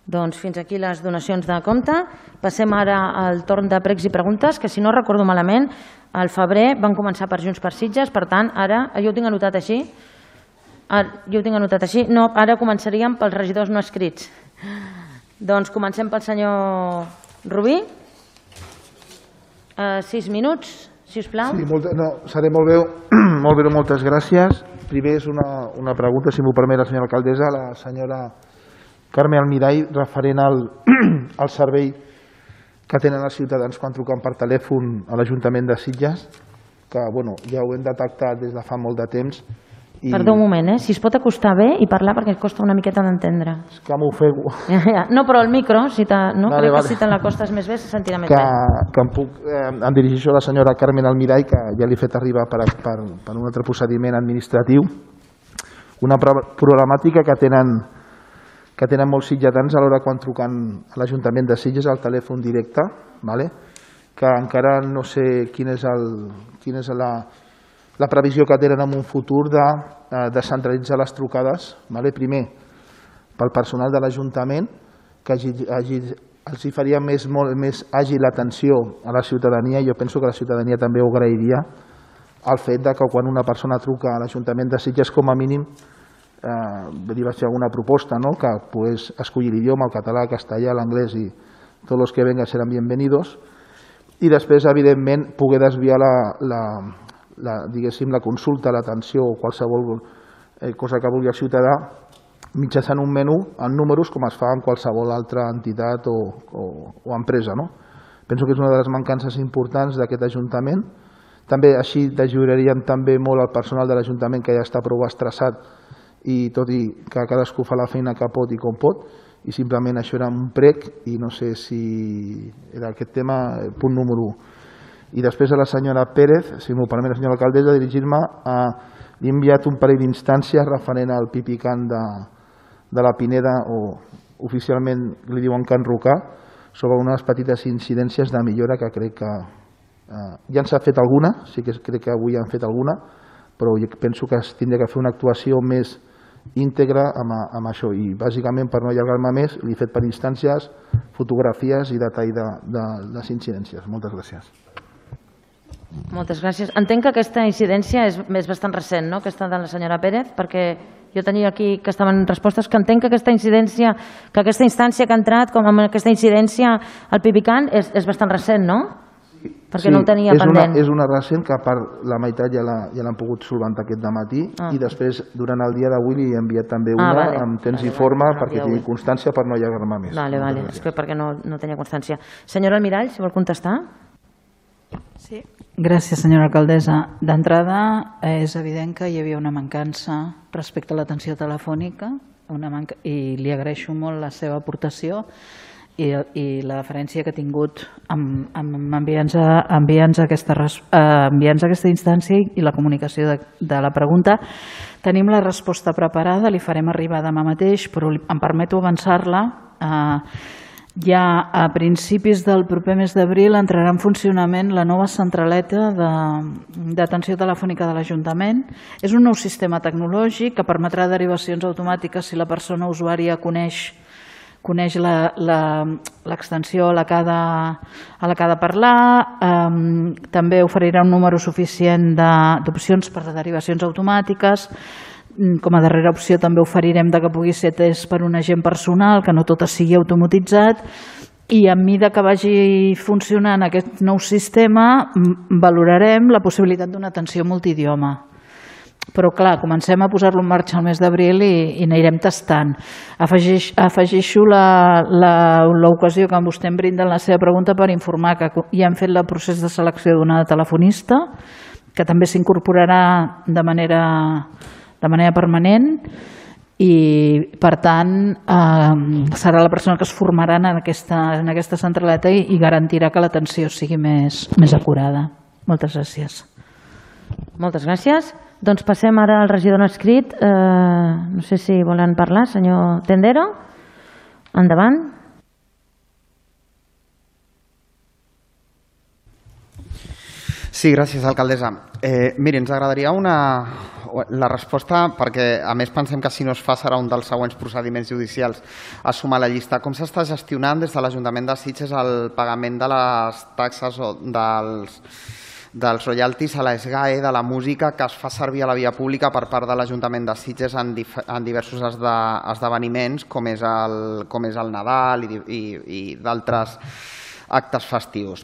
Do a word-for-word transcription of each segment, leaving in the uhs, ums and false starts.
Doncs fins aquí les donacions de compte. Passem ara al torn de pregs i preguntes, que si no recordo malament, al febrer van començar per Junts per Sitges, per tant, ara, jo ho tinc anotat així, jo ho tinc anotat així, no, ara començaríem pels regidors no escrits. Doncs comencem pel senyor Rubí. Sis minuts, si us plau. Sí, no, seré molt breu, molt breu, moltes gràcies. Primer és una, una pregunta, si m'ho permet la senyora alcaldessa, la senyora Carme Almirall, referent al, al servei que tenen els ciutadans quan truquen per telèfon a l'Ajuntament de Sitges, que bueno, ja ho hem detectat des de fa molt de temps. I... Perdó un moment, eh? Si es pot acostar bé i parlar perquè costa una miqueta d'entendre. És que m'ofego. Ja, ja. No, però el micro, si te, no? Vale, crec vale. que si te l'acostes més bé se sentirà més que, bé. Que em, puc, eh, em dirigeixo a la senyora Carmen Almirall, que ja li he fet arribar per, per, per un altre procediment administratiu, una problemàtica que tenen que tenen molts sitgetans a l'hora quan truquen a l'Ajuntament de Sitges al telèfon directe, vale? Que encara no sé quina és, el, quina és la, la previsió que tenen en un futur de eh, descentralitzar les trucades, vale? Primer pel personal de l'Ajuntament, que hagi, hagi, els hi faria més, molt, més àgil l'atenció a la ciutadania, i jo penso que la ciutadania també ho agrairia, el fet de que quan una persona truca a l'Ajuntament de Sitges, com a mínim, Eh, dir, vaig fer alguna proposta, no? Que pues, escollir l'idioma, el català, el castellà, l'anglès i tots els que vengan seran bienvenidos, i després, evidentment, poder desviar la, la, la, diguéssim, la consulta, l'atenció o qualsevol eh, cosa que vulgui el ciutadà mitjançant un menú en números com es fa en qualsevol altra entitat o, o, o empresa, no? Penso que és una de les mancances importants d'aquest Ajuntament. També així ajudaríem també molt al personal de l'Ajuntament, que ja està prou estressat, i tot i que cadascú fa la feina que pot i com pot, i simplement això era un prec i no sé si era aquest tema, punt número u. I després a la senyora Pérez, si m'ho permet la senyora alcaldessa, dirigir-me a... Li he enviat un parell d'instàncies referent al Pipicant de, de la Pineda, o oficialment li diuen Can Rocà, sobre unes petites incidències de millora que crec que eh, ja ens ha fet alguna, sí que crec que avui han fet alguna, però jo penso que es tindria que fer una actuació més íntegra amb, amb això, i bàsicament, per no allargar-me més, li he fet per instàncies fotografies i detall de, de les incidències. Moltes gràcies. Moltes gràcies. Entenc que aquesta incidència és, és bastant recent, no?, aquesta de la senyora Pérez, perquè jo tenia aquí que estaven respostes, que entenc que aquesta incidència, que aquesta instància que ha entrat, com amb aquesta incidència al Pipicant, és, és bastant recent, no? Perquè sí, no ho tenia és pendent. Una, és una recent que a part la meitat ja l'han ja pogut solventar aquest dematí, ah. i després durant el dia d'avui li he enviat també una ah, vale. amb temps vale, i forma vale, perquè tingui constància per no allargar-me més. Vale, vale. És que perquè no, no tenia constància. Senyora Almirall, si vol contestar. Sí. Gràcies, senyora alcaldessa. D'entrada, és evident que hi havia una mancança respecte a l'atenció telefònica, una manca... i li agraeixo molt la seva aportació, I, i la deferència que ha tingut amb, amb enviar-nos enviar aquesta, eh, enviar aquesta instància i la comunicació de, de la pregunta. Tenim la resposta preparada, li farem arribar demà mateix, però em permeto avançar-la. Eh, ja a principis del proper mes d'abril entrarà en funcionament la nova centraleta d'atenció telefònica de l'Ajuntament. És un nou sistema tecnològic que permetrà derivacions automàtiques si la persona usuària coneix coneix l'extensió a la que ha de parlar, eh, també oferirà un número suficient d'opcions per a derivacions automàtiques. Com a darrera opció també oferirem que pugui ser atès per un agent personal, que no tot sigui automatitzat, i a mesura que vagi funcionant aquest nou sistema valorarem la possibilitat d'una atenció multidioma. Però clar, comencem a posar-lo en marxa el mes d'abril i, i anirem tastant. Afegeix, afegeixo l'ocasió que vostè em brinda en la seva pregunta per informar que ja hem fet el procés de selecció d'una telefonista, que també s'incorporarà de manera, de manera permanent, i per tant eh, serà la persona que es formarà en aquesta, en aquesta centraleta i, i garantirà que l'atenció sigui més, més acurada. Moltes gràcies. Moltes gràcies. Doncs passem ara al regidor no escrit. Eh, no sé si volen parlar, senyor Tendero. Endavant. Sí, gràcies, alcaldessa. Eh, miri, ens agradaria una... la resposta, perquè a més pensem que si no es fa serà un dels següents procediments judicials a sumar a la llista. Com s'està gestionant des de l'Ajuntament de Sitges el pagament de les taxes o dels, dels royalties a l'ESGAE de la música que es fa servir a la via pública per part de l'Ajuntament de Sitges en, en diversos esde, esdeveniments com és el, com és el Nadal i, i, i d'altres actes festius.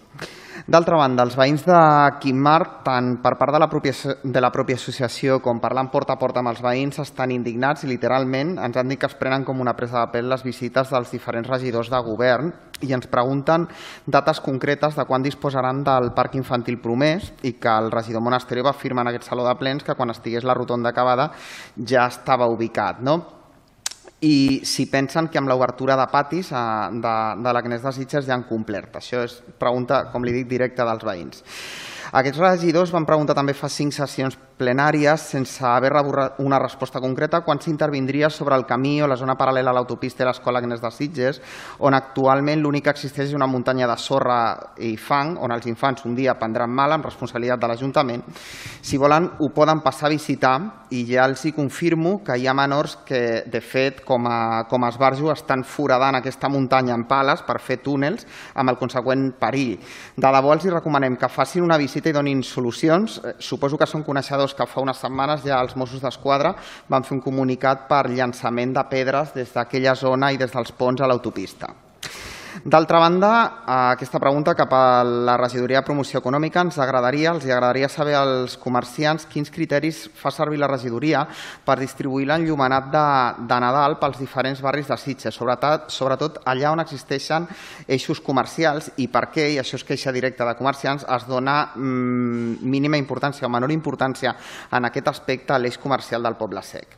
D'altra banda, els veïns de Quimmarc, tant per part de la pròpia, de la pròpia associació com parlant porta a porta amb els veïns, estan indignats i literalment ens han dit que es prenen com una presa de pèl les visites dels diferents regidors de govern i ens pregunten dates concretes de quan disposaran del parc infantil promès i que el regidor Monasterio va afirmar en aquest saló de plens que quan estigués la rotonda acabada ja estava ubicat, no? I si pensen que amb l'obertura de patis de, de l'Agnès de Sitges ja han complert. Això és pregunta, com li dic, directa dels veïns. Aquests regidors van preguntar també fa cinc sessions plenàries sense haver rebut una resposta concreta quan s'intervindria sobre el camí o la zona paral·lela a l'autopista i l'escola Agnès de Sitges, on actualment l'únic que existeix és una muntanya de sorra i fang, on els infants un dia prendran mal amb responsabilitat de l'Ajuntament. Si volen, ho poden passar a visitar i ja els hi confirmo que hi ha menors que, de fet, com a, com a esbarjo, estan foradant aquesta muntanya en pales per fer túnels amb el conseqüent perill. De debò els hi recomanem que facin una visita i donin solucions. Suposo que són coneixedors que fa unes setmanes ja els Mossos d'Esquadra van fer un comunicat per llançament de pedres des d'aquella zona i des dels ponts a l'autopista. D'altra banda, aquesta pregunta cap a la regidoria de promoció econòmica ens agradaria, els agradaria saber als comerciants quins criteris fa servir la regidoria per distribuir l'enllumenat de, de Nadal pels diferents barris de Sitges, sobretot, sobretot allà on existeixen eixos comercials i per què, i això és queixa directa de comerciants, es dona mmm, mínima importància o menor importància en aquest aspecte a l'eix comercial del Poble Sec.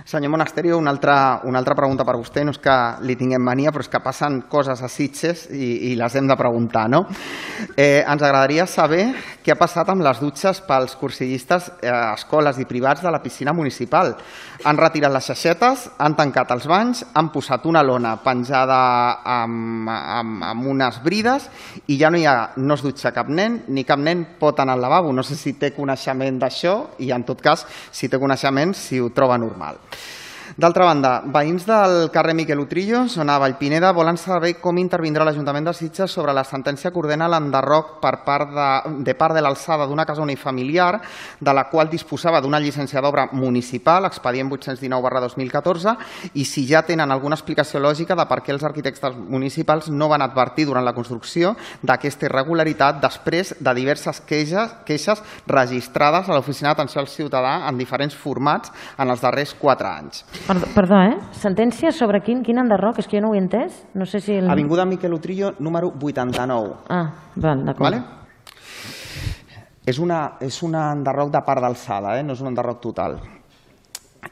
Senyor Monasterio, una altra, una altra pregunta per vostè, no és que li tinguem mania, però és que passen coses a Sitges i, i les hem de preguntar, no? Eh, ens agradaria saber què ha passat amb les dutxes pels cursillistes a eh, escoles i privats de la piscina municipal. Han retirat les xaixetes, han tancat els banys, han posat una lona penjada amb, amb, amb unes brides i ja no, hi ha, no es dutxa cap nen, ni cap nen pot anar al lavabo. No sé si té coneixement d'això i, en tot cas, si té coneixement, si ho troba normal. D'altra banda, veïns del carrer Miquel Utrillo, zona Vallpineda, volen saber com intervindrà l'Ajuntament de Sitges sobre la sentència que ordena l'enderroc per part de, de part de l'alçada d'una casa unifamiliar de la qual disposava d'una llicència d'obra municipal, expedient vuit-cents dinou barra dos mil catorze, i si ja tenen alguna explicació lògica de per què els arquitectes municipals no van advertir durant la construcció d'aquesta irregularitat després de diverses queixes, queixes registrades a l'Oficina d'Atenció al Ciutadà en diferents formats en els darrers quatre anys. Perdó, perdó, eh? Sentència sobre quin, quin enderroc? És que jo no ho he entès. No sé si el... Avinguda Miquel Utrillo, número vuitanta-nou. Ah, val, d'acord. Vale? És, una, és un enderroc de part d'alçada, eh? No és un enderroc total.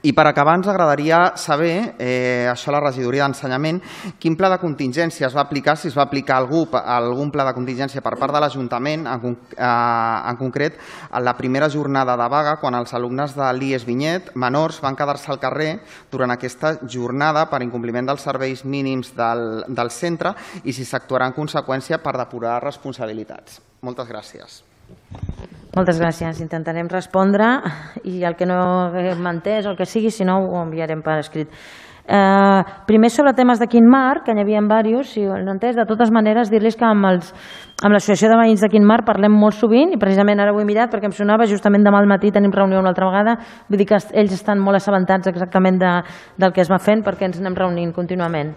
I per acabar ens agradaria saber, eh, això a la regidoria d'Ensenyament, quin pla de contingència es va aplicar, si es va aplicar algú, algun pla de contingència per part de l'Ajuntament, en, eh, en concret en la primera jornada de vaga, quan els alumnes de l'I E S Vinyet menors van quedar-se al carrer durant aquesta jornada per incompliment dels serveis mínims del, del centre i si s'actuarà en conseqüència per depurar responsabilitats. Moltes gràcies. Moltes gràcies. Intentarem respondre i el que no hem entès, el que sigui, si no ho enviarem per escrit. Eh, primer sobre temes de Quimmarc, que n'hi havia diversos, si ho han entès, de totes maneres dir-los que amb, els, amb l'Associació de Veïns de Quimmarc parlem molt sovint i precisament ara ho he mirat perquè em sonava justament demà al matí tenim reunió una altra vegada, vull dir que ells estan molt assabentats exactament de, del que es va fent perquè ens anem reunint contínuament.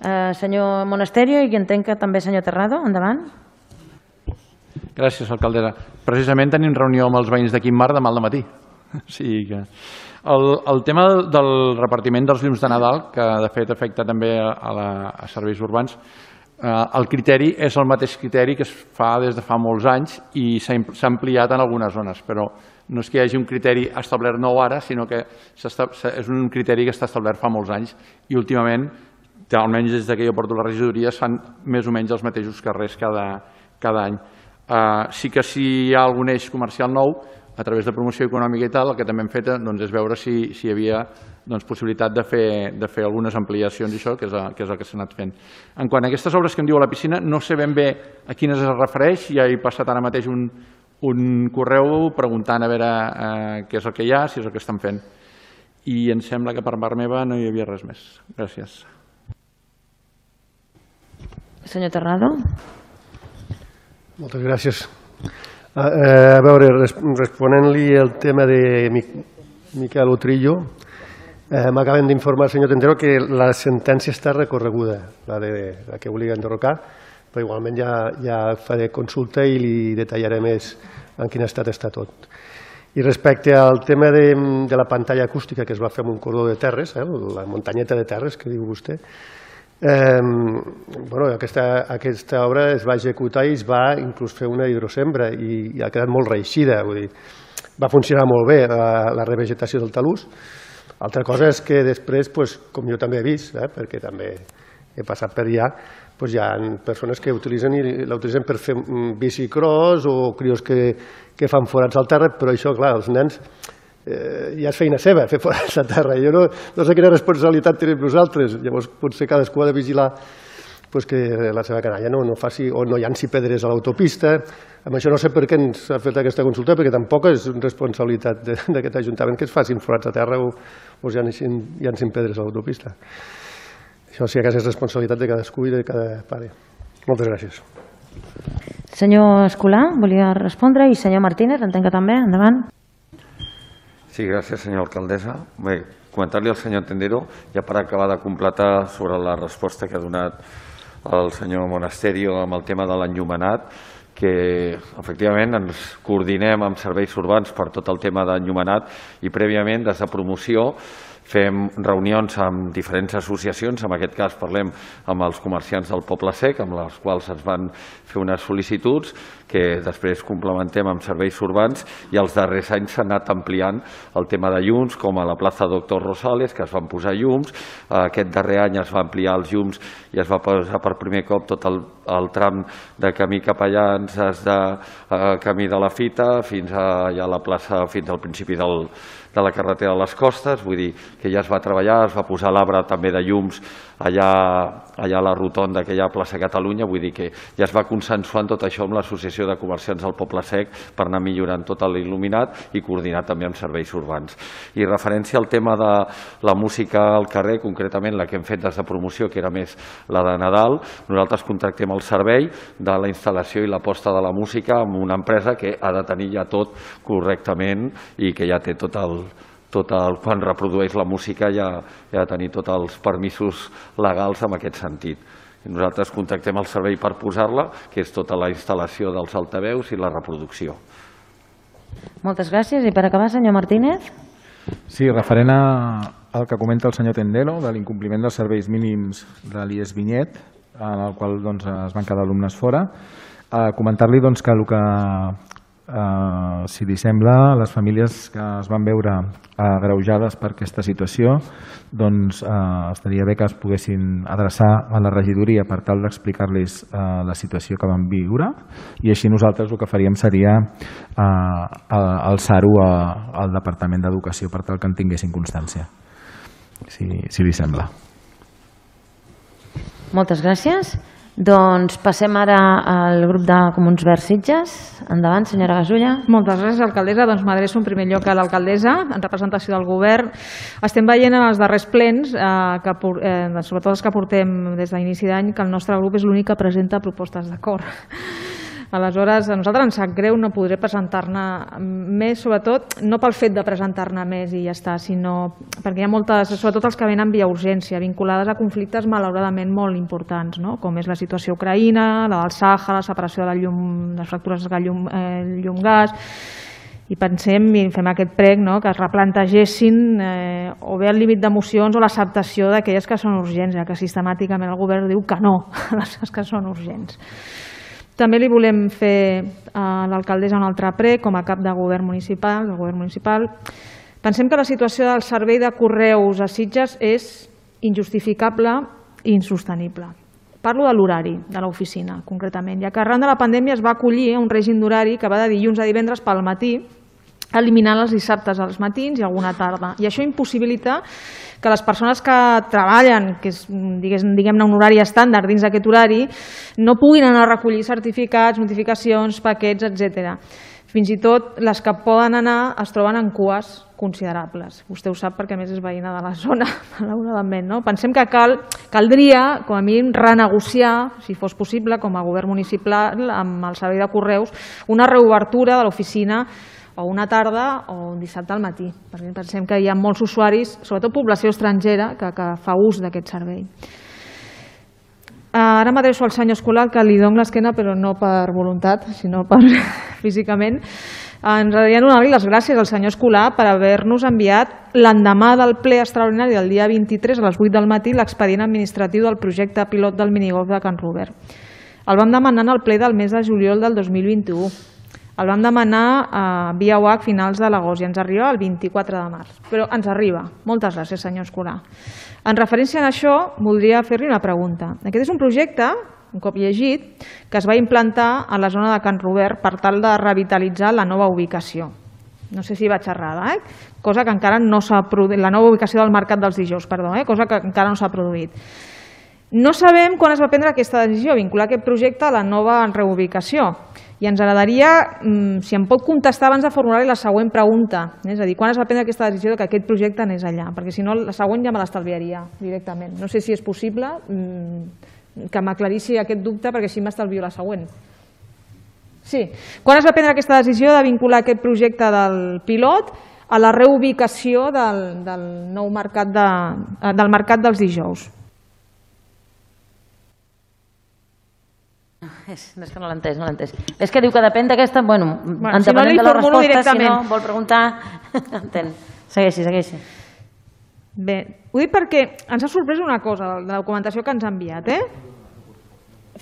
Eh, senyor Monasterio i entenc que també senyor Terrado, endavant. Gràcies, alcaldessa. Precisament tenim reunió amb els veïns de Quimmarc demà al matí. O sigui que... El, el tema del repartiment dels llums de Nadal, que de fet afecta també a, la, a serveis urbans, eh, el criteri és el mateix criteri que es fa des de fa molts anys i s'ha ampliat en algunes zones, però no és que hi hagi un criteri establert nou ara, sinó que és un criteri que està establert fa molts anys i últimament, almenys des que jo porto la regidoria, es fan més o menys els mateixos carrers cada, cada any. Uh, sí que si hi ha algun eix comercial nou, a través de promoció econòmica i tal, el que també hem fet doncs, és veure si, si hi havia possibilitat de fer algunes ampliacions i això, que és el que s'ha anat fent. En quant a aquestes obres que em diu a la piscina, no sé ben bé a quines es refereix, ja he passat ara mateix un correu preguntant a veure què és el que hi ha, si és el que estan fent. I em sembla que per part meva no hi havia res més. Gràcies. Senyor Terrado. Moltes gràcies. A veure, responent-li el tema de Miquel Utrillo, m'acaben d'informar, senyor Tendero, que la sentència està recorreguda, la que volia enderrocar, però igualment ja faré consulta i li detallaré més en quin estat està tot. I respecte al tema de la pantalla acústica que es va fer amb un cordó de terres, la muntanyeta de terres que diu vostè, aquesta obra es va executar i es va inclús fer una hidrosembra i ha quedat molt reeixida, va funcionar molt bé la revegetació del talús. Altra cosa és que després, com jo també he vist, perquè també he passat per allà, hi ha persones que l'utilitzen per fer bicicross o crios que fan forats al terra, però això, clar, els nens ja és feina seva, fer forats a terra. Jo no sé quina responsabilitat tenim nosaltres. Llavors, potser cadascú ha de vigilar que la seva canalla no faci o no llanci pedres a l'autopista. Amb això no sé per què ens ha fet aquesta consulta, perquè tampoc és responsabilitat d'aquest Ajuntament que es facin forats a terra o es llancin pedres a l'autopista. Això sí que és responsabilitat de cadascú i de cada pare. Moltes gràcies. Senyor Escolà, volia respondre, i senyor Martínez, entenc que també, endavant. Sí, gràcies, senyora alcaldessa. Bé, comentar-li al senyor Tendero, ja per acabar de completar sobre la resposta que ha donat el senyor Monasterio amb el tema de l'enllumenat, que efectivament ens coordinem amb serveis urbans per tot el tema d'enllumenat i prèviament des de promoció fem reunions amb diferents associacions, en aquest cas parlem amb els comerciants del Poble Sec, amb les quals ens van fer unes sol·licituds que després complementem amb serveis urbans i els darrers anys s'ha anat ampliant el tema de llums, com a la plaça Doctor Rosales, que es van posar llums, aquest darrer any es va ampliar els llums i es va posar per primer cop tot el tram de camí cap allà, des de camí de la Fita fins a la plaça, fins al principi del de la carretera de les Costes, vull dir que ja es va treballar, es va posar l'arbre també de llums allà a la rotonda que hi ha a plaça Catalunya, vull dir que ja es va consensuant tot això amb l'Associació de Comerciants del Poble Sec per anar millorant tot l'il·luminat i coordinar també amb serveis urbans. I referència al tema de la música al carrer, concretament la que hem fet des de promoció, que era més la de Nadal, nosaltres contractem el servei de la instal·lació i la posta de la música amb una empresa que ha de tenir ja tot correctament i que ja té tot el quan reprodueix la música ja ha de tenir tots els permisos legals en aquest sentit. Nosaltres contractem el servei per posar-la, que és tota la instal·lació dels altaveus i la reproducció. Moltes gràcies. I per acabar, senyor Martínez. Sí, referent al que comenta el senyor Tendero, de l'incompliment dels serveis mínims de l'I E S Vinyet, en el qual es van quedar alumnes fora, comentar-li que el que si li sembla, les famílies que es van veure agreujades per aquesta situació, doncs estaria bé que es poguessin adreçar a la regidoria per tal d'explicar-los la situació que van viure i així nosaltres el que faríem seria alçar-ho al Departament d'Educació per tal que en tinguessin constància, si li sembla. Moltes gràcies. Doncs passem ara al grup de Comuns Verds Sitges. Endavant, senyora Gasulla. Moltes gràcies, alcaldessa. Doncs m'adreço en primer lloc a l'alcaldessa, en representació del govern. Estem veient en els darrers plens, sobretot els que portem des d'inici d'any, que el nostre grup és l'únic que presenta propostes d'acord. Aleshores, a nosaltres ens sap greu no podré presentar-ne més, sobretot no pel fet de presentar-ne més i ja està, sinó perquè hi ha moltes, sobretot els que venen via urgència, vinculades a conflictes malauradament molt importants, com és la situació ucraïna, la del Sàhara, la separació de les fractures de llum-gas, i pensem i fem aquest prec que es replantegessin o bé el límit d'emocions o l'acceptació d'aquelles que són urgents, ja que sistemàticament el govern diu que no a les que són urgents. També li volem fer a l'alcaldessa un altre prec com a cap de govern municipal, del govern municipal. Pensem que la situació del servei de correus a Sitges és injustificable i insostenible. Parlo de l'horari de l'oficina, concretament, ja que arran de la pandèmia es va acollir un règim d'horari que va de dilluns a divendres pel matí eliminant els dissabtes als matins i alguna tarda. I això impossibilita que les persones que treballen, que és, diguem-ne, un horari estàndard dins d'aquest horari, no puguin anar a recollir certificats, notificacions, paquets, etcètera. Fins i tot les que poden anar es troben en cues considerables. Vostè ho sap perquè a més és veïna de la zona, malauradament. No? Pensem que cal, caldria, com a mínim, renegociar, si fos possible, com a govern municipal, amb el servei de correus, una reobertura de l'oficina o una tarda o un dissabte al matí, perquè pensem que hi ha molts usuaris, sobretot població estrangera, que, que fa ús d'aquest servei. Ara m'adreço al senyor Escolar, que li dono l'esquena, però no per voluntat, sinó per físicament. Ens agradaria donar-li les gràcies al senyor Escolar per haver-nos enviat l'endemà del ple extraordinari del dia vint-i-tres a les vuit del matí l'expedient administratiu del projecte pilot del minigolf de Can Robert. El vam demanar en el ple del mes de juliol del dos mil vint-i-u. El vam demanar a via U H a finals de l'agost i ens arriba el vint-i-quatre de març. Però ens arriba. Moltes gràcies, senyor Escolar. En referència a això, voldria fer-li una pregunta. Aquest és un projecte, un cop llegit, que es va implantar a la zona de Can Robert per tal de revitalitzar la nova ubicació. No sé si vaig errada, eh? Cosa que encara no s'ha produït, la nova ubicació del Mercat dels Dijous, perdó, eh? Cosa que encara no s'ha produït. No sabem quan es va prendre aquesta decisió, vincular aquest projecte a la nova reubicació. I ens agradaria, si em pot contestar abans de formular-li la següent pregunta, és a dir, quan es va prendre aquesta decisió que aquest projecte anés allà, perquè si no la següent ja me l'estalviaria directament. No sé si és possible que m'aclarissi aquest dubte, perquè així m'estalvio la següent. Sí, quan es va prendre aquesta decisió de vincular aquest projecte del pilot a la reubicació del, del nou mercat, de, del mercat dels dijous? És, és que no l'he entès, no l'he entès. És que diu que depèn d'aquesta... Bueno, bueno si no li formulo directament. Si no vol preguntar... Entén. Segueixi, segueixi. Bé, ho dic perquè ens ha sorprès una cosa, la documentació que ens ha enviat. Eh?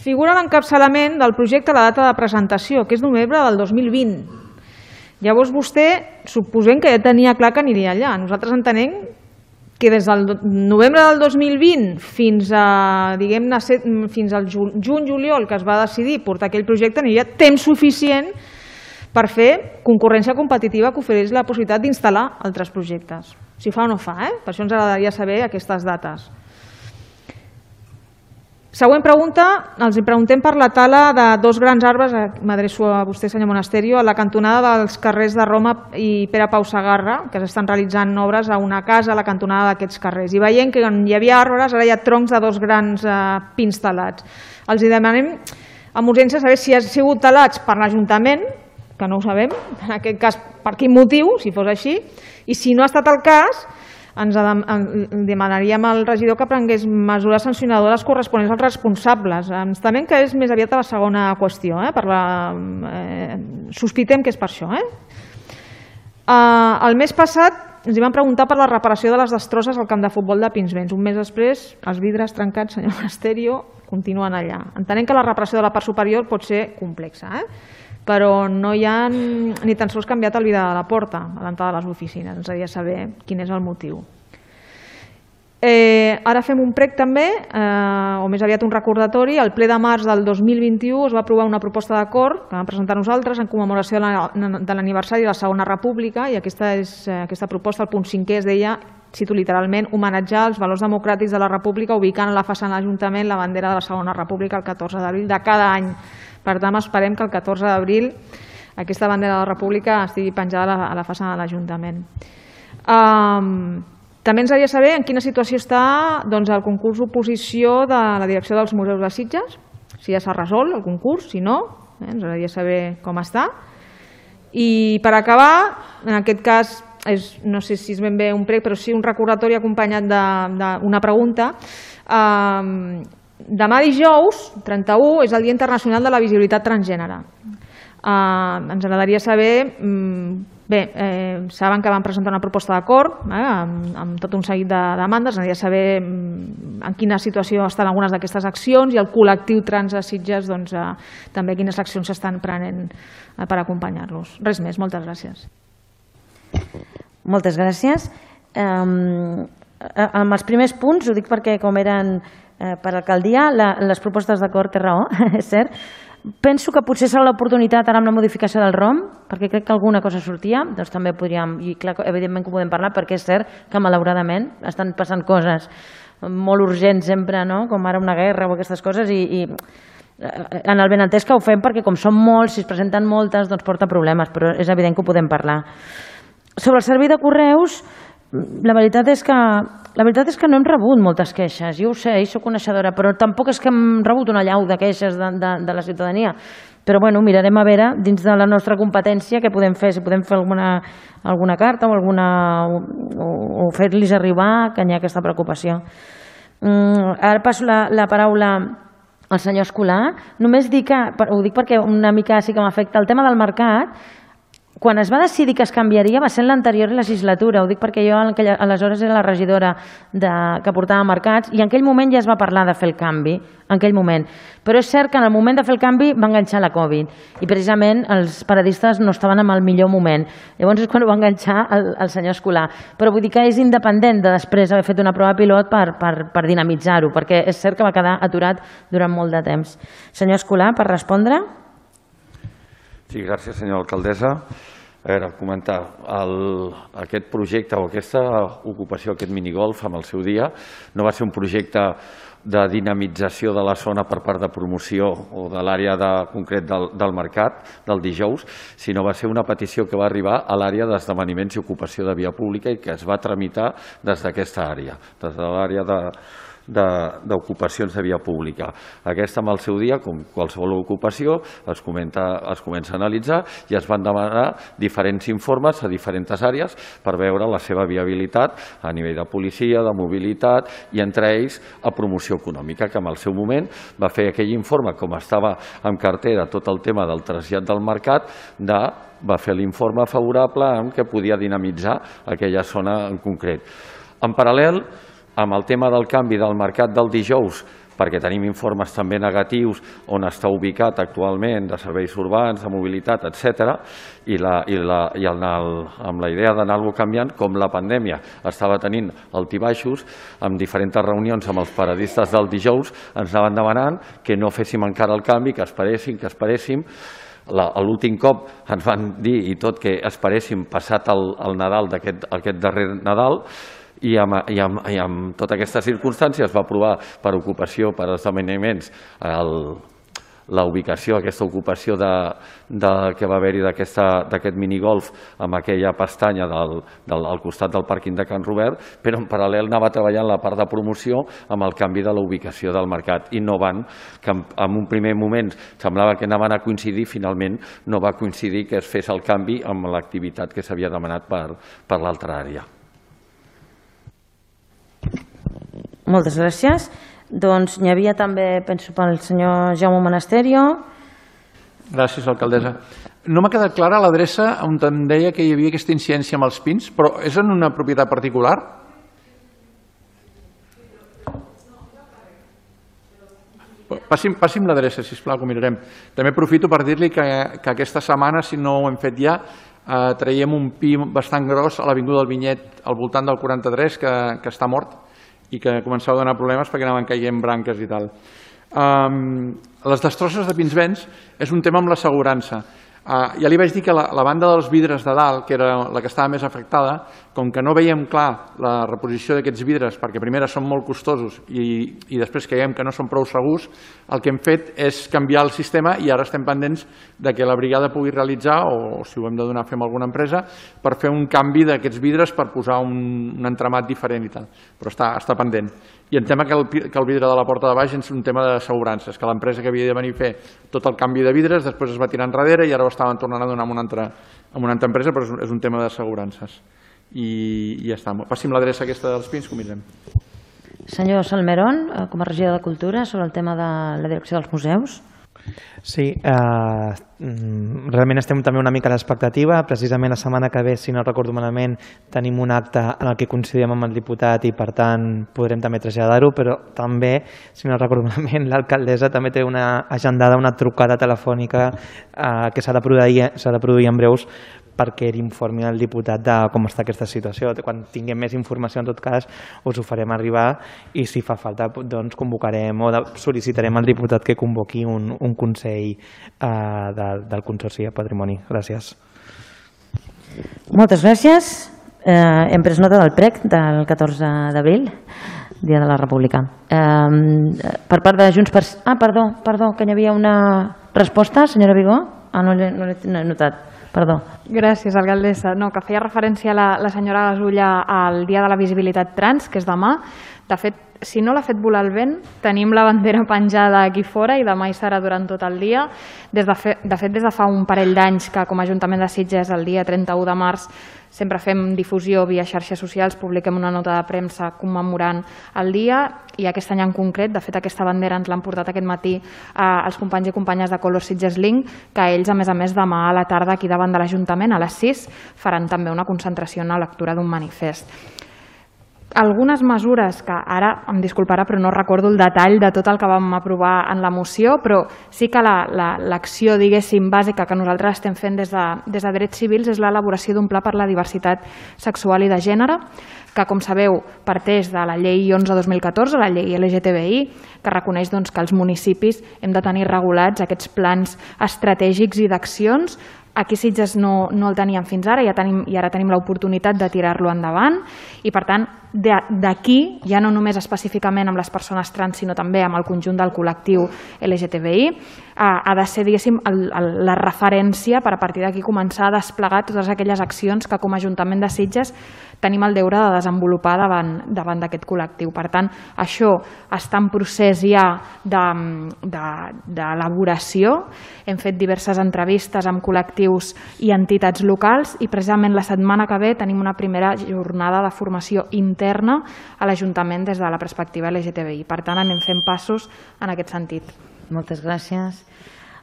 Figura l'encapçalament del projecte a la data de presentació, que és novembre del dos mil vint. Llavors vostè, suposem que ja tenia clar que aniria allà. Nosaltres entenem que des del novembre del dos mil vint fins a, diguem-ne, fins al juny-juliol que es va decidir portar aquell projecte, aniria temps suficient per fer concurrència competitiva que ofereix la possibilitat d'instal·lar altres projectes. Si fa o no fa, eh? Per això ens agradaria saber aquestes dates. Següent pregunta, els preguntem per la tala de dos grans arbres, m'adreço a vostè, senyor Monasterio, a la cantonada dels carrers de Roma i Pere Pau Sagarra, que s'estan realitzant obres a una casa a la cantonada d'aquests carrers. I veiem que on hi havia arbres, ara hi ha troncs de dos grans eh, pins talats. Els demanem amb urgència saber si han sigut talats per l'Ajuntament, que no ho sabem, en aquest cas per quin motiu, si fos així, i si no ha estat el cas, ens demanaríem al regidor que prengués mesures sancionadores corresponents als responsables. Ens temem que és més aviat a la segona qüestió, eh? Per la, eh, sospitem que és per això. Eh? Uh, el mes passat ens hi van preguntar per la reparació de les destrosses al camp de futbol de Pinsbens. Un mes després, els vidres trencats, senyor Monasterio, continuen allà. Entenem que la reparació de la part superior pot ser complexa, eh? Però no hi ha ni tan sols canviat el vidre de la porta a l'entrada de les oficines. Ens agradaria saber quin és el motiu. Eh, ara fem un prec també, eh, o més aviat un recordatori. El ple de març del dos mil vint-i-u es va aprovar una proposta d'acord que vam presentar nosaltres en commemoració de l'aniversari de la Segona República, i aquesta, és, aquesta proposta, el punt cinquè, es deia, cito literalment, homenatjar els valors democràtics de la República ubicant a la façana de l'Ajuntament la bandera de la Segona República el catorze d'abril de cada any. Per tant, esperem que el catorze d'abril aquesta bandera de la República estigui penjada a la, a la façana de l'Ajuntament. Um, també ens agradaria saber en quina situació està doncs, el concurs d'oposició de la direcció dels museus de Sitges, si ja s'ha resolt el concurs, si no, eh, ens agradaria saber com està. I per acabar, en aquest cas, és, no sé si és ben bé un prec, però sí un recordatori acompanyat d'una pregunta. Um, Demà dijous, trenta-u, és el Dia Internacional de la Visibilitat Transgènere. Uh, ens agradaria saber, um, bé, eh, saben que vam presentar una proposta d'acord eh, amb, amb tot un seguit de demandes, ens agradaria saber um, en quina situació estan algunes d'aquestes accions i el col·lectiu trans de Sitges doncs, uh, també quines accions s'estan prenent uh, per acompanyar-los. Res més, moltes gràcies. Moltes gràcies. Um, amb els primers punts, ho dic perquè com eren per alcaldia, les propostes d'acord té raó, és cert. Penso que potser serà l'oportunitat ara amb la modificació del ROM, perquè crec que alguna cosa sortia, doncs també podríem, i clar, evidentment que ho podem parlar, perquè és cert que malauradament estan passant coses molt urgents sempre, no? Com ara una guerra o aquestes coses, i, i en el benentès que ho fem perquè com són molts, si es presenten moltes, doncs porta problemes, però és evident que ho podem parlar. Sobre el servei de correus, la veritat és que la veritat és que no hem rebut moltes queixes, jo ho sé, i soc coneixedora, però tampoc és que hem rebut una llau de queixes de, de, de la ciutadania. Però bueno, mirarem a veure, dins de la nostra competència, què podem fer, si podem fer alguna, alguna carta o, alguna, o, o fer-los arribar que hi ha aquesta preocupació. Mm, ara passo la, la paraula al senyor Escolà. Només dic que, ho dic perquè una mica sí que m'afecta, el tema del mercat. Quan es va decidir que es canviaria va ser en l'anterior legislatura, ho dic perquè jo aleshores era la regidora de, que portava mercats, i en aquell moment ja es va parlar de fer el canvi, en aquell moment. Però és cert que en el moment de fer el canvi va enganxar la Covid i precisament els paradistes no estaven en el millor moment. Llavors és quan ho va enganxar el, el senyor Escolà. Però vull dir que és independent de després haver fet una prova pilot per, per, per dinamitzar-ho, perquè és cert que va quedar aturat durant molt de temps. Senyor Escolà, per respondre. Sí, gràcies, senyora alcaldessa. A veure, comentar, el, aquest projecte o aquesta ocupació, aquest minigolf amb el seu dia, no va ser un projecte de dinamització de la zona per part de promoció o de l'àrea de, concret del, del mercat, del dijous, sinó va ser una petició que va arribar a l'àrea d'esdeveniments i ocupació de via pública i que es va tramitar des d'aquesta àrea, des de l'àrea de d'ocupacions de, de via pública. Aquesta amb el seu dia, com qualsevol ocupació, es, comenta, es comença a analitzar i es van demanar diferents informes a diferents àrees per veure la seva viabilitat a nivell de policia, de mobilitat i entre ells a promoció econòmica, que en el seu moment va fer aquell informe, com estava en cartera tot el tema del trasllat del mercat, de va fer l'informe favorable en què podia dinamitzar aquella zona en concret. En paral·lel, amb el tema del canvi del mercat del dijous, perquè tenim informes també negatius on està ubicat actualment de serveis urbans, de mobilitat, etcètera, i, la, i, la, i el, amb la idea d'anar-lo canviant, com la pandèmia estava tenint altibaixos, amb diferents reunions amb els paradistes del dijous, ens anaven demanant que no féssim encara el canvi, que esperéssim, que esperéssim. L'últim cop ens van dir i tot que esperéssim passat el, el Nadal d'aquest aquest darrer Nadal, I amb, i, amb, i amb tota aquesta circumstància es va aprovar per ocupació, per esdeveniments, la ubicació, aquesta ocupació de, de, que va haver-hi d'aquest minigolf amb aquella pestanya del, del, al costat del pàrquing de Can Robert, però en paral·lel anava treballant la part de promoció amb el canvi de la ubicació del mercat i no van, que en, en un primer moment semblava que anaven a coincidir, finalment no va coincidir que es fes el canvi amb l'activitat que s'havia demanat per, per l'altra àrea. Moltes gràcies. Doncs n'hi havia també, penso, pel senyor Jaume Monasterio. Gràcies, alcaldessa. No m'ha quedat clara l'adreça on em deia que hi havia aquesta incidència amb els pins, però és en una propietat particular? Passi'm, passi'm l'adreça, sisplau, que ho mirarem. També aprofito per dir-li que, que aquesta setmana, si no ho hem fet ja, eh, traiem un pi bastant gros a l'avinguda del Vinyet, al voltant del quaranta-tres, que, que està mort i que començava a donar problemes perquè anaven caient branques i tal. Um, les destrosses de pins vents és un tema amb l'assegurança. Uh, ja li vaig dir que la, la banda dels vidres de dalt, que era la que estava més afectada, com que no veiem clar la reposició d'aquests vidres, perquè primera són molt costosos i, i després creiem que no són prou segurs, el que hem fet és canviar el sistema i ara estem pendents de que la brigada pugui realitzar, o si ho hem de donar a fer amb alguna empresa, per fer un canvi d'aquests vidres per posar un, un entramat diferent i tal. Però està, està pendent. I en tema que el, que el vidre de la porta de baix és un tema d'assegurances, que l'empresa que havia de venir a fer tot el canvi de vidres després es va tirar enrere i ara ho estaven tornant a donar amb una altra, amb una altra empresa, però és, és un tema d'assegurances. I, I ja està. Passi'm l'adreça aquesta dels pins, que ho mirem. Senyor Salmerón, com a regidor de Cultura, sobre el tema de la direcció dels museus. Sí, eh, realment estem també una mica a l'expectativa. Precisament la setmana que ve, si no recordo malament, tenim un acte en el que coincidim amb el diputat i per tant podrem també traslladar-ho, però també, si no recordo malament, l'alcaldessa també té una agendada, una trucada telefònica eh, que s'ha de produir, s'ha de produir en breus perquè ell informi el diputat de com està aquesta situació. Quan tinguem més informació, en tot cas, us ho farem arribar i si fa falta doncs, convocarem o sol·licitarem al diputat que convoqui un, un consell eh, de, del Consorci de Patrimoni. Gràcies. Moltes gràcies. Eh, hem pres nota del prec del catorze d'abril, Dia de la República. Eh, per part de Junts per... Ah, perdó, perdó, que hi havia una resposta, senyora Vigó? Ah, no l'he no no notat, perdó. Gràcies, alcaldessa. No, que feia referència la, la senyora Gasulla al Dia de la Visibilitat Trans, que és demà. De fet, si no l'ha fet volar el vent, tenim la bandera penjada aquí fora i demà hi serà durant tot el dia. Des de, fe, de fet, des de fa un parell d'anys que com a Ajuntament de Sitges el dia trenta-u de març sempre fem difusió via xarxes socials, publiquem una nota de premsa commemorant el dia i aquest any en concret, de fet aquesta bandera ens l'han portat aquest matí eh, els companys i companyes de Color Sitges Link, que ells a més a més demà a la tarda aquí davant de l'Ajuntament a les sis faran també una concentració en la lectura d'un manifest. Algunes mesures que ara, em disculparà, però no recordo el detall de tot el que vam aprovar en la moció, però sí que l'acció, diguéssim, bàsica que nosaltres estem fent des de, des de Drets Civils és l'elaboració d'un pla per la diversitat sexual i de gènere, que, com sabeu, parteix de la llei onze dos mil catorze, la llei L G T B I, que reconeix doncs, que els municipis hem de tenir regulats aquests plans estratègics i d'accions. Aquí Sitges no, no el teníem fins ara i, ja tenim, i ara tenim l'oportunitat de tirar-lo endavant i, per tant, d'aquí, ja no només específicament amb les persones trans, sinó també amb el conjunt del col·lectiu L G T B I, ha de ser, diguéssim, el, el, la referència per a partir d'aquí començar a desplegar totes aquelles accions que com a Ajuntament de Sitges tenim el deure de desenvolupar davant davant d'aquest col·lectiu. Per tant, això està en procés ja d'elaboració. Hem fet diverses entrevistes amb col·lectius i entitats locals i precisament la setmana que ve tenim una primera jornada de formació interna a l'Ajuntament des de la perspectiva L G T B I. Per tant, anem fent passos en aquest sentit. Moltes gràcies.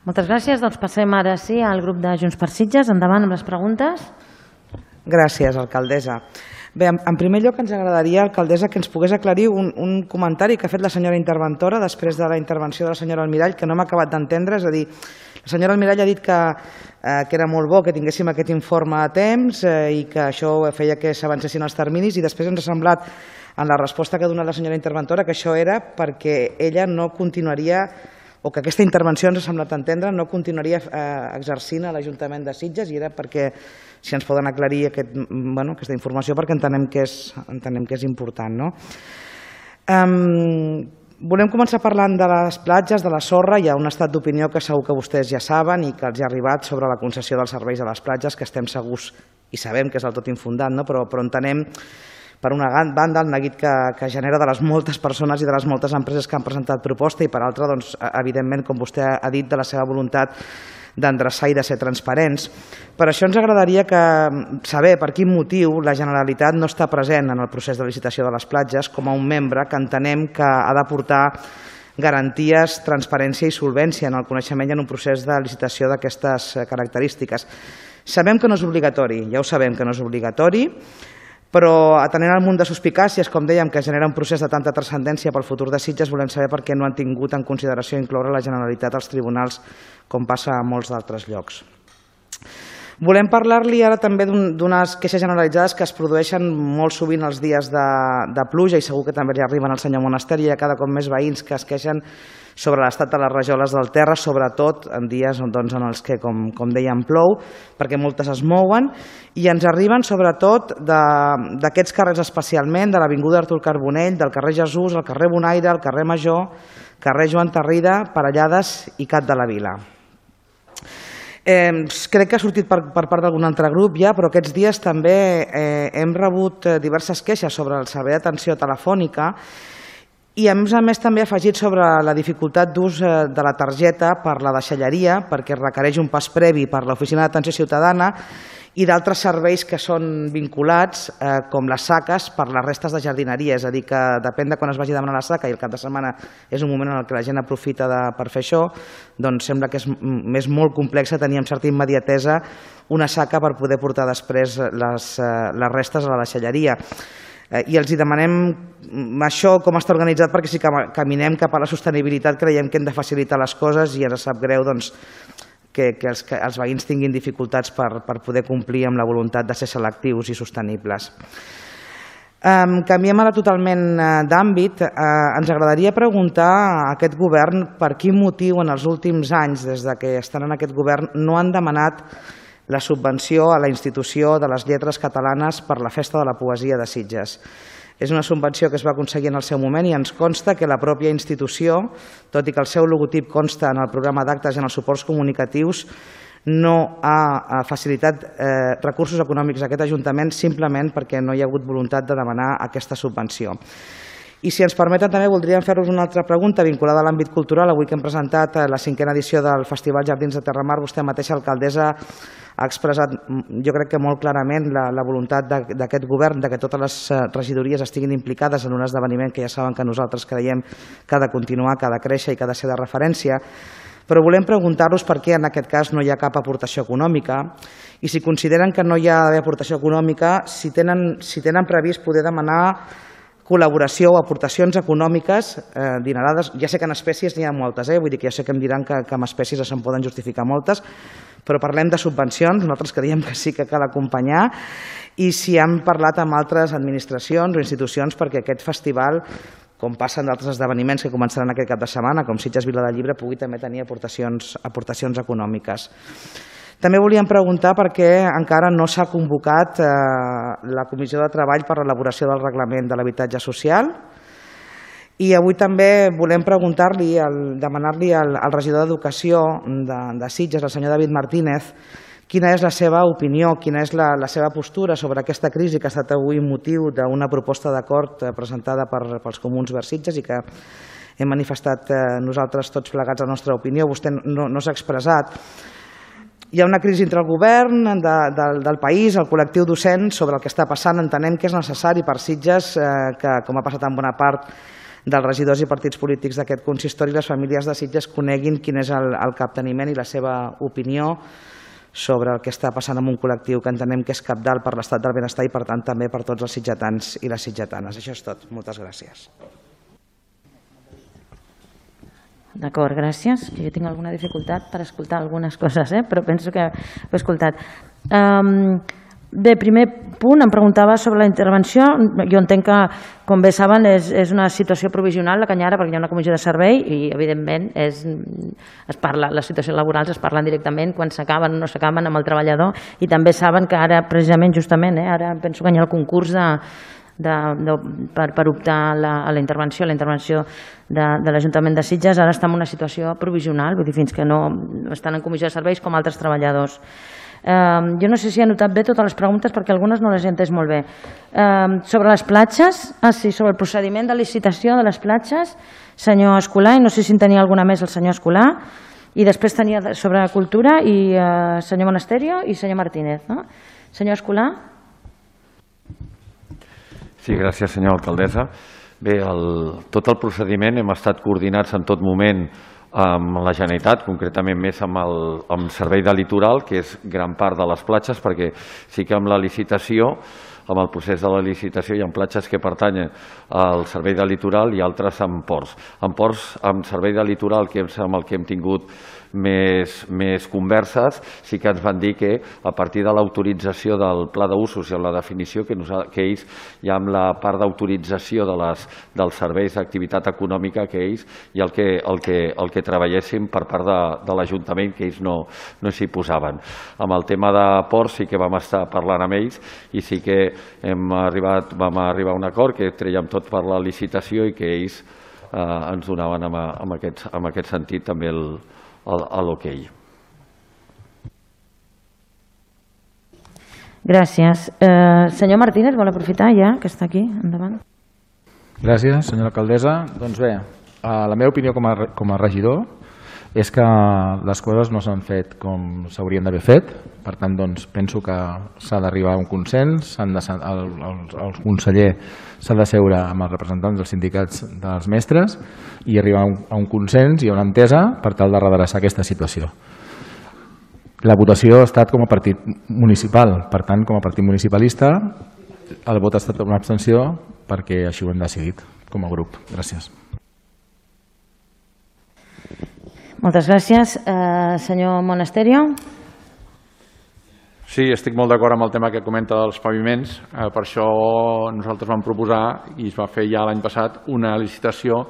Moltes gràcies. Doncs passem ara sí al grup de Junts per Sitges. Endavant amb les preguntes. Gràcies, alcaldessa. Bé, en primer lloc ens agradaria, alcaldessa, que ens pogués aclarir un, un comentari que ha fet la senyora interventora després de la intervenció de la senyora Almirall, que no m'ha acabat d'entendre. És a dir, la senyora Almirall ha dit que, eh, que era molt bo que tinguéssim aquest informe a temps eh, i que això feia que s'avancessin els terminis, i després ens ha semblat, en la resposta que ha donat la senyora interventora, que això era perquè ella no continuaria, o que aquesta intervenció ens ha semblat entendre, no continuaria eh, exercint a l'Ajuntament de Sitges, i era perquè, si ens poden aclarir aquest, bueno, aquesta informació, perquè entenem que és, entenem que és important. No? Um, volem començar parlant de les platges, de la sorra. Hi ha un estat d'opinió que segur que vostès ja saben i que els ha arribat sobre la concessió dels serveis a les platges, que estem segurs i sabem que és del tot infundat, no? però, però entenem, per una banda, el neguit que, que genera de les moltes persones i de les moltes empreses que han presentat proposta, i per altra, doncs, evidentment, com vostè ha dit, de la seva voluntat d'endreçar i de ser transparents. Per això ens agradaria que, saber per quin motiu la Generalitat no està present en el procés de licitació de les platges com a un membre que entenem que ha d'aportar garanties, transparència i solvència en el coneixement i en un procés de licitació d'aquestes característiques. Sabem que no és obligatori, ja ho sabem que no és obligatori, però atenent al munt de suspicàcies, com dèiem, que genera un procés de tanta transcendència pel futur de Sitges, volem saber per què no han tingut en consideració incloure la Generalitat als tribunals, com passa a molts d'altres llocs. Volem parlar-li ara també d'unes queixes generalitzades que es produeixen molt sovint els dies de, de pluja, i segur que també li arriben al senyor Monasteri. Hi ha cada cop més veïns que es queixen sobre l'estat de les rajoles del terra, sobretot en dies doncs, en els que, com, com dèiem, plou, perquè moltes es mouen, i ens arriben sobretot d'aquests carrers especialment, de l'avinguda Artur Carbonell, del carrer Jesús, el carrer Bonaire, el carrer Major, carrer Joan Tarrida, Parellades i Cat de la Vila. Eh, crec que ha sortit per, per part d'algun altre grup ja, però aquests dies també eh, hem rebut diverses queixes sobre el servei d'atenció telefònica, i a més a més també ha afegit sobre la dificultat d'ús de la targeta per la deixalleria, perquè requereix un pas previ per l'Oficina d'Atenció Ciutadana, i d'altres serveis que són vinculats, eh, com les saques, per les restes de jardineria. És a dir, que depèn de quan es vagi a demanar la saca, i el cap de setmana és un moment en què la gent aprofita de, per fer això, doncs sembla que és, és molt complex tenir amb certa immediatesa una saca per poder portar després les, les restes a la deixalleria. I els demanem això, com està organitzat, perquè si caminem cap a la sostenibilitat creiem que hem de facilitar les coses, i ens sap greu doncs, que, que, els, que els veïns tinguin dificultats per, per poder complir amb la voluntat de ser selectius i sostenibles. Um, canviem ara totalment uh, d'àmbit. Uh, ens agradaria preguntar a aquest govern per quin motiu en els últims anys, des de que estan en aquest govern, no han demanat la subvenció a la institució de les lletres catalanes per la Festa de la Poesia de Sitges. És una subvenció que es va aconseguir en el seu moment i ens consta que la pròpia institució, tot i que el seu logotip consta en el programa d'actes i en els suports comunicatius, no ha facilitat eh, recursos econòmics a aquest Ajuntament simplement perquè no hi ha hagut voluntat de demanar aquesta subvenció. I si ens permeten també voldríem fer-vos una altra pregunta vinculada a l'àmbit cultural. Avui que hem presentat la cinquena edició del Festival Jardins de Terramar, vostè mateixa, alcaldessa, ha expressat, jo crec que molt clarament, la, la voluntat d'aquest govern de que totes les regidories estiguin implicades en un esdeveniment que ja saben que nosaltres creiem que ha de continuar, que ha de créixer i que ha de ser de referència. Però volem preguntar-los per què en aquest cas no hi ha cap aportació econòmica i si consideren que no hi ha d'haver aportació econòmica, si tenen, si tenen previst poder demanar col·laboració o aportacions econòmiques eh, dinerades. Ja sé que en espècies n'hi ha moltes, eh? Vull dir que ja sé que em diran que, que en espècies se'n poden justificar moltes, però parlem de subvencions, nosaltres creiem que sí que cal acompanyar, i si han parlat amb altres administracions o institucions perquè aquest festival, com passa en d'altres esdeveniments que començaran aquest cap de setmana, com Sitges Vila del Llibre, pugui també tenir aportacions, aportacions econòmiques. També volíem preguntar per què encara no s'ha convocat eh, la Comissió de Treball per a l'elaboració del reglament de l'habitatge social. I avui també volem preguntar-li, demanar-li al, al regidor d'Educació de, de Sitges, el senyor David Martínez, quina és la seva opinió, quina és la, la seva postura sobre aquesta crisi que ha estat avui motiu d'una proposta d'acord presentada per, pels comuns vers Sitges i que hem manifestat eh, nosaltres tots plegats la nostra opinió. Vostè no, no s'ha expressat. Hi ha una crisi entre el govern de, de, del país, el col·lectiu docent, sobre el que està passant. Entenem que és necessari per Sitges, eh, que com ha passat en bona part dels regidors i partits polítics d'aquest consistori, les famílies de Sitges coneguin quin és el, el capteniment i la seva opinió sobre el que està passant amb un col·lectiu que entenem que és cabdal per l'estat del benestar i per tant també per tots els sitgetans i les sitgetanes. Això és tot. Moltes gràcies. D'acord, gràcies. Jo tinc alguna dificultat per escoltar algunes coses, eh? Però penso que ho he escoltat. Um, bé, primer punt, em preguntava sobre la intervenció. Jo entenc que, com bé saben, és, és una situació provisional la Canyara perquè hi ha una comissió de servei i, evidentment, és, es parla, les situacions laborals es parlen directament quan s'acaben o no s'acaben amb el treballador i també saben que ara, precisament, justament, eh, ara penso que hi ha el concurs de De, de, per, per optar la, a la intervenció, la intervenció de, de l'Ajuntament de Sitges, ara està en una situació provisional, vull dir, fins que no estan en comissió de serveis com altres treballadors. Eh, jo no sé si he notat bé totes les preguntes perquè algunes no les he entès molt bé. Eh, sobre les platges, ah sí, sobre el procediment de licitació de les platges, senyor Escolà, i no sé si en tenia alguna més el senyor Escolà, i després tenia sobre cultura i eh, senyor Monasterio i senyor Martínez. No? Senyor Escolà? Sí, gràcies, senyora alcaldessa. Bé, el, tot el procediment hem estat coordinats en tot moment amb la Generalitat, concretament més amb el amb Servei de Litoral, que és gran part de les platges, perquè sí que amb la licitació, amb el procés de la licitació hi ha platges que pertanyen al Servei de Litoral i altres amb ports. En ports, amb Servei de Litoral, que és amb el que hem tingut més, més converses, sí que ens van dir que a partir de l'autorització del pla d'usos i amb la definició que, nosaltres, que ells, ja amb la part d'autorització de les, dels serveis d'activitat econòmica que ells i el que, el que, el que treballéssim per part de, de l'Ajuntament, que ells no, no s'hi posaven. Amb el tema de ports sí que vam estar parlant amb ells i sí que hem arribat, vam arribar a un acord que trèiem tot per la licitació i que ells eh, ens donaven en, en, aquest, en aquest sentit també el a l'hoquei. Gràcies. Eh, senyor Martínez, vol aprofitar ja que està aquí? Endavant. Gràcies, senyora alcaldessa. Doncs bé, la meva opinió com a, com a regidor és que les coses no s'han fet com s'haurien d'haver fet. Per tant, doncs, penso que s'ha d'arribar a un consens, de, el, el, el conseller s'ha de seure amb els representants dels sindicats dels mestres i arribar a un, a un consens i a una entesa per tal de redreçar aquesta situació. La votació ha estat com a partit municipal, per tant, com a partit municipalista, el vot ha estat una abstenció perquè així ho hem decidit com a grup. Gràcies. Moltes gràcies. Eh, senyor Monasterio. Sí, estic molt d'acord amb el tema que comenta dels paviments. Eh, per això nosaltres vam proposar, i es va fer ja l'any passat, una licitació,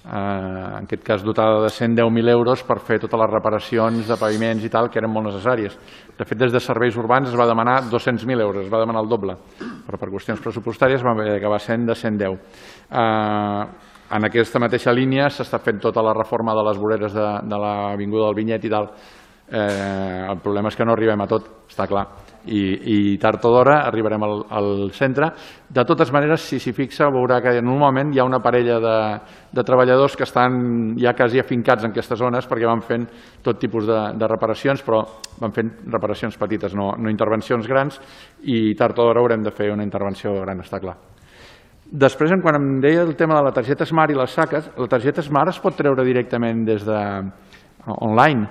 eh, en aquest cas dotada de cent deu mil euros, per fer totes les reparacions de paviments i tal, que eren molt necessàries. De fet, des de serveis urbans es va demanar dos-cents mil euros, es va demanar el doble, però per qüestions pressupostàries va acabar sent de cent deu. Eh, en aquesta mateixa línia s'està fent tota la reforma de les voreres de, de l'avinguda del Vinyet i tal. Eh, el problema és que no arribem a tot, està clar, i, i tard o d'hora arribarem al, al centre. De totes maneres, si s'hi fixa, veurà que normalment hi ha una parella de, de treballadors que estan ja quasi afincats en aquestes zones perquè van fent tot tipus de, de reparacions, però van fent reparacions petites, no, no intervencions grans, i tard o d'hora haurem de fer una intervenció gran, està clar. Després, quan em deia el tema de la targeta Smart i les saques, la targeta Smart es pot treure directament des de online.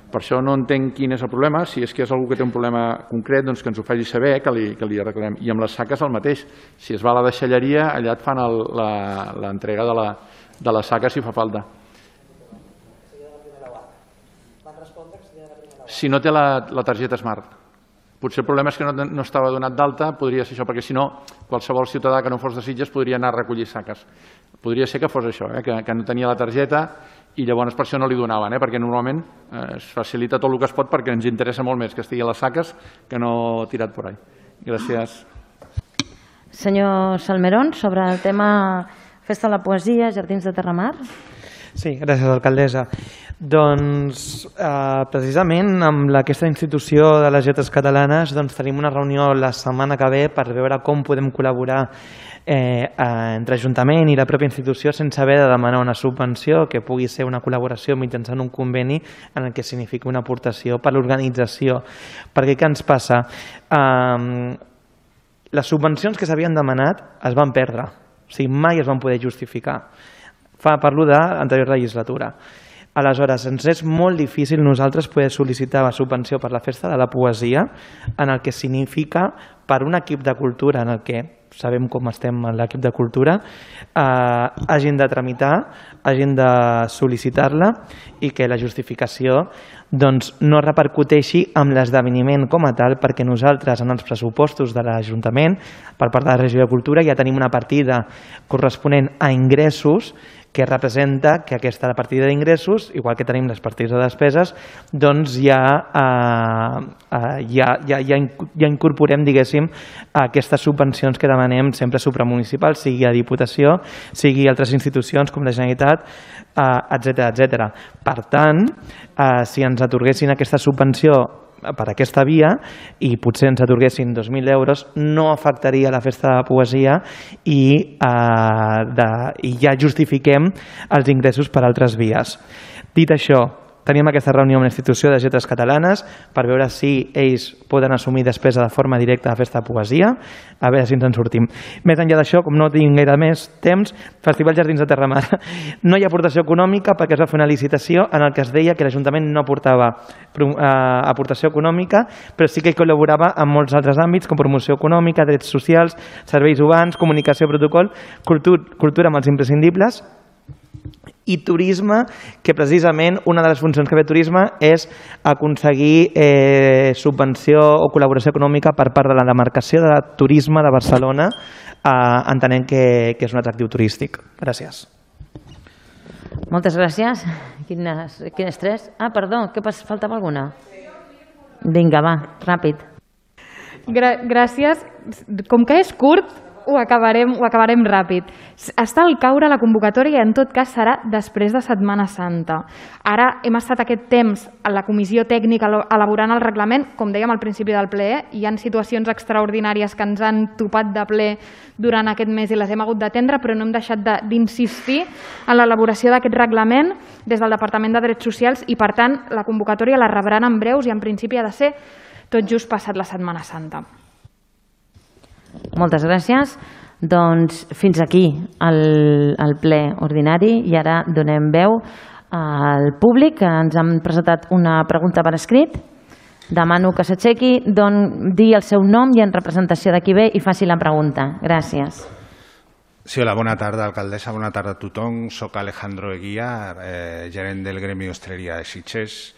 Per això no entenc quin és el problema. Si és que és algú que té un problema concret, doncs que ens ho faci saber, que li, que li arreglem. I amb les saques el mateix. Si es va a la deixalleria, allà et fan l'entrega de, la, de les saques si fa falta. Si no té la, la targeta Smart. Potser el problema és que no, no estava donat d'alta, podria ser això, perquè si no, qualsevol ciutadà que no fos de Sitges podria anar a recollir saques. Podria ser que fos això, eh? que, que no tenia la targeta i llavors per això no li donaven, eh? perquè normalment eh, es facilita tot el que es pot perquè ens interessa molt més que estigui a les saques que no tirat per ahí. Gràcies. Senyor Salmerón, sobre el tema Festa de la Poesia, Jardins de Terramar. Sí, gràcies, alcaldessa. Doncs, eh, precisament, amb aquesta institució de les lletres catalanes doncs, tenim una reunió la setmana que ve per veure com podem col·laborar eh, entre Ajuntament i la pròpia institució sense haver de demanar una subvenció, que pugui ser una col·laboració mitjançant un conveni en el que significa una aportació per l'organització. Perquè què ens passa? Eh, les subvencions que s'havien demanat es van perdre, o sigui, mai es van poder justificar. Fa, parlo de l'anterior legislatura. Aleshores, ens és molt difícil nosaltres poder sol·licitar la subvenció per la Festa de la Poesia, en el que significa per un equip de cultura, en el que sabem com estem en l'equip de cultura, eh, hagin de tramitar, hagin de sol·licitar-la i que la justificació doncs, no repercuteixi amb l'esdeveniment com a tal, perquè nosaltres en els pressupostos de l'Ajuntament, per part de la Regió de Cultura, ja tenim una partida corresponent a ingressos que representa que aquesta partida d'ingressos, igual que tenim les partides de despeses, doncs ja, eh, eh, ja, ja, ja, ja incorporem, diguéssim, aquestes subvencions que demanem sempre supramunicipals, sigui a Diputació, sigui a altres institucions com la Generalitat, etcètera, etcètera. Per tant, eh, si ens atorguessin aquesta subvenció per aquesta via i potser ens atorguessin dos mil euros, no afectaria la Festa de la Poesia i, eh, de, i ja justifiquem els ingressos per altres vies. Dit això, tenim aquesta reunió amb la institució de lletres catalanes per veure si ells poden assumir despesa de forma directa a la Festa de Poesia, a veure si ens en sortim. Més enllà d'això, com no tinc gaire més temps, Festival Jardins de Terramar. No hi ha aportació econòmica perquè es va fer una licitació en el que es deia que l'Ajuntament no aportava eh, aportació econòmica, però sí que hi col·laborava en molts altres àmbits, com promoció econòmica, drets socials, serveis urbans, comunicació, protocol, cultura, cultura amb els imprescindibles, i turisme, que precisament una de les funcions que ve turisme és aconseguir eh, subvenció o col·laboració econòmica per part de la demarcació de turisme de Barcelona, eh, entenent que, que és un atractiu turístic. Gràcies. Moltes gràcies. Quines, quines tres? Ah, perdó, que faltava alguna? Vinga, va, ràpid. Gra gràcies. Com que és curt, ho acabarem, ho acabarem ràpid. Està al caure la convocatòria i en tot cas serà després de Setmana Santa. Ara hem estat aquest temps a la comissió tècnica elaborant el reglament, com dèiem al principi del ple, hi ha situacions extraordinàries que ens han topat de ple durant aquest mes i les hem hagut d'atendre, però no hem deixat d'insistir en l'elaboració d'aquest reglament des del Departament de Drets Socials i per tant la convocatòria la rebran en breus i en principi ha de ser tot just passat la Setmana Santa. Moltes gràcies. Doncs fins aquí el, el ple ordinari i ara donem veu al públic que ens han presentat una pregunta per escrit. Demano que s'aixequi, digui el seu nom i en representació de qui ve i faci la pregunta. Gràcies. Sí, hola, bona tarda, alcaldessa, bona tarda a tothom. Soc Alejandro Eguía, eh, gerent del Gremi d'Hostaleria de Sitges.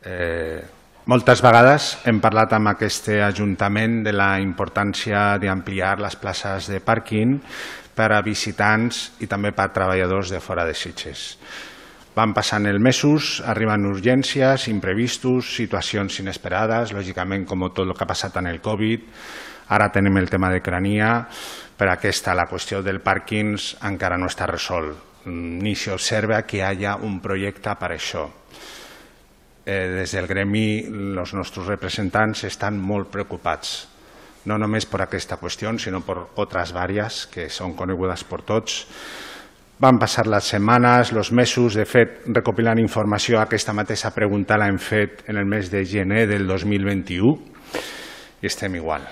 Eh, moltes vegades hem parlat amb aquest Ajuntament de la importància d'ampliar les places de pàrquing per a visitants i també per a treballadors de fora de Sitges. Van passant els mesos, arriben urgències, imprevistos, situacions inesperades, lògicament com tot el que ha passat en el Covid. Ara tenim el tema de Crania, però aquesta, la qüestió del pàrquings encara no està resolt, ni s'observa que hi hagi un projecte per això. Eh, des del gremi, els nostres representants estan molt preocupats, no només per aquesta qüestió, sinó per altres vàries que són conegudes per tots. Van passar les setmanes, els mesos, de fet, recopilant informació, aquesta mateixa pregunta l'hem fet en el mes de gener del dos mil vint-i-u i estem igual.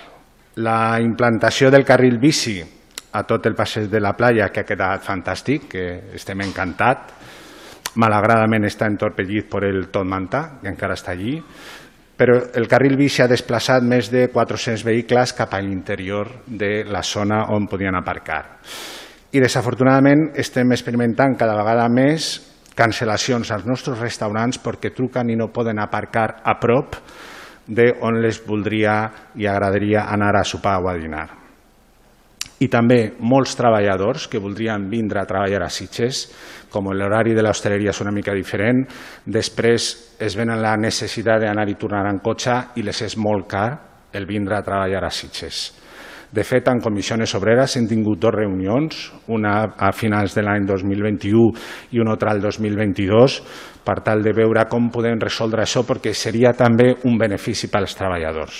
La implantació del carril bici a tot el passeig de la platja, que ha quedat fantàstic, que estem encantats. Malauradament està entorpellit per el Tot Manta, que encara està allí, però el carril bici ha desplaçat més de quatre-cents vehicles cap a l'interior de la zona on podien aparcar. I desafortunadament estem experimentant cada vegada més cancel·lacions als nostres restaurants perquè truquen i no poden aparcar a prop d'on les voldria i agradaria anar a sopar o a dinar. I també molts treballadors que voldrien vindre a treballar a Sitges, com l'horari de l'hostaleria és una mica diferent, després es venen la necessitat d'anar i tornar en cotxe i les és molt car el vindre a treballar a Sitges. De fet, en Comissiones Obreres hem tingut dues reunions, una a finals de l'any dos mil vint-i-u i una altra al dos mil vint-i-dos, per tal de veure com podem resoldre això, perquè seria també un benefici per als treballadors.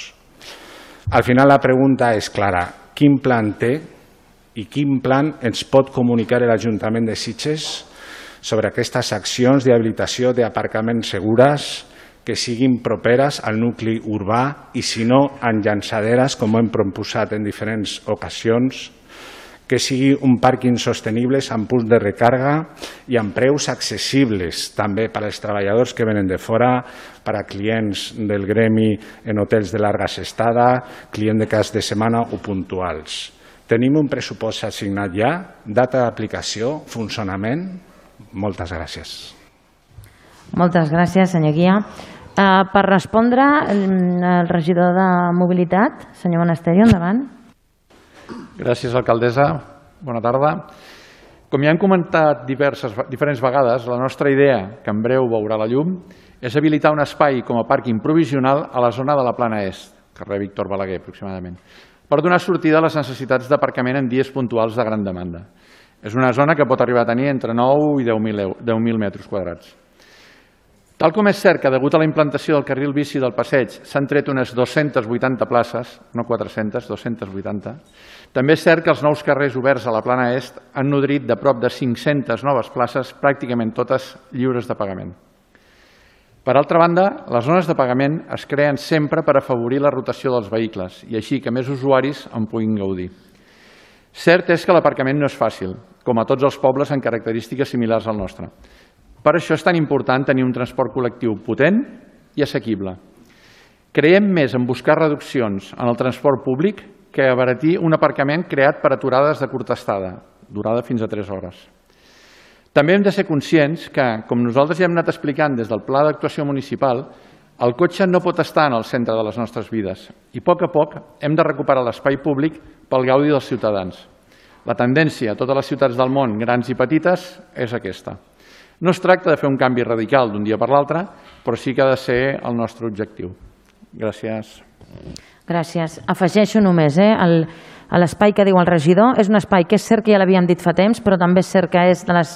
Al final la pregunta és clara, quin plan té i quin plan ens pot comunicar l'Ajuntament de Sitges sobre aquestes accions d'habilitació d'aparcaments segures que siguin properes al nucli urbà i, si no, en llançaderes, com hem proposat en diferents ocasions, que sigui un pàrquing sostenible amb punts de recàrrega i amb preus accessibles també per als treballadors que venen de fora, per a clients del gremi en hotels de llarga estada, clients de cas de setmana o puntuals. Tenim un pressupost assignat ja, data d'aplicació, funcionament. Moltes gràcies. Moltes gràcies, senyor Guia. Uh, per respondre, el, el regidor de Mobilitat, senyor Monasterio, endavant. Gràcies, alcaldessa. Bona tarda. Com ja hem comentat diverses, diferents vegades, la nostra idea, que en breu veurà la llum, és habilitar un espai com a pàrquing provisional a la zona de la Plana Est, carrer Víctor Balaguer, aproximadament, per donar sortida a les necessitats d'aparcament en dies puntuals de gran demanda. És una zona que pot arribar a tenir entre nou i deu mil metres quadrats. Tal com és cert que, degut a la implantació del carril bici del passeig, s'han tret unes dues-centes vuitanta places, no quatre-centes, dues-centes vuitanta, també és cert que els nous carrers oberts a la Plana Est han nodrit de prop de cinc-centes noves places, pràcticament totes lliures de pagament. Per altra banda, les zones de pagament es creen sempre per afavorir la rotació dels vehicles i així que més usuaris en puguin gaudir. Cert és que l'aparcament no és fàcil, com a tots els pobles amb característiques similars al nostre. Per això és tan important tenir un transport col·lectiu potent i assequible. Creiem més en buscar reduccions en el transport públic que abaratir un aparcament creat per aturades de curta estada, durada fins a tres hores. També hem de ser conscients que, com nosaltres ja hem anat explicant des del Pla d'actuació municipal, el cotxe no pot estar en el centre de les nostres vides i a poc a poc hem de recuperar l'espai públic pel gaudi dels ciutadans. La tendència a totes les ciutats del món, grans i petites, és aquesta. No es tracta de fer un canvi radical d'un dia per l'altre, però sí que ha de ser el nostre objectiu. Gràcies. Gràcies. Afegeixo només, eh, el, l'espai que diu el regidor és un espai que és cert que ja l'havíem dit fa temps, però també és cert que és de les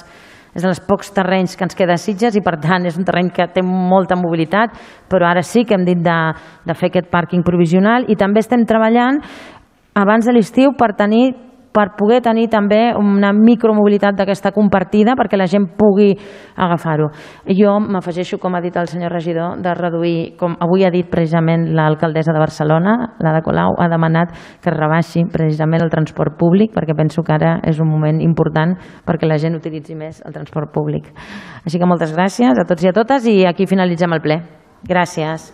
és dels pocs terrenys que ens queda a Sitges i per tant és un terreny que té molta mobilitat, però ara sí que hem dit de, de fer aquest pàrquing provisional i també estem treballant abans de l'estiu per tenir per poder tenir també una micromobilitat d'aquesta compartida perquè la gent pugui agafar-ho. Jo m'afegeixo, com ha dit el senyor regidor, de reduir, com avui ha dit precisament l'alcaldessa de Barcelona, l'Ada Colau, ha demanat que es rebaixi precisament el transport públic perquè penso que ara és un moment important perquè la gent utilitzi més el transport públic. Així que moltes gràcies a tots i a totes i aquí finalitzem el ple. Gràcies.